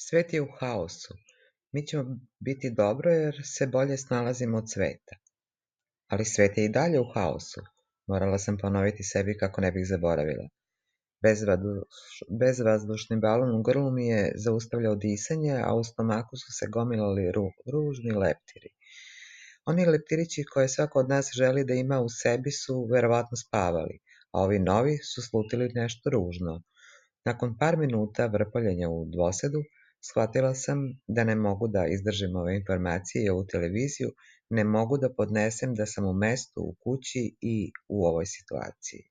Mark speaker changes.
Speaker 1: Svet je u haosu. Mi ćemo biti dobro jer se bolje snalazimo od sveta. Ali svet je i dalje u haosu. Morala sam ponoviti sebi kako ne bih zaboravila. Bezvazdušni balon u grlu mi je zaustavljao disanje, a u stomaku su se gomilali ružni leptiri. Oni leptirići koje svako od nas želi da ima u sebi su verovatno spavali, a ovi novi su slutili nešto ružno. Nakon par minuta vrpoljenja u dvosedu, shvatila sam da ne mogu da izdržim ove informacije i ovu televiziju, ne mogu da podnesem da sam u mestu, u kući i u ovoj situaciji.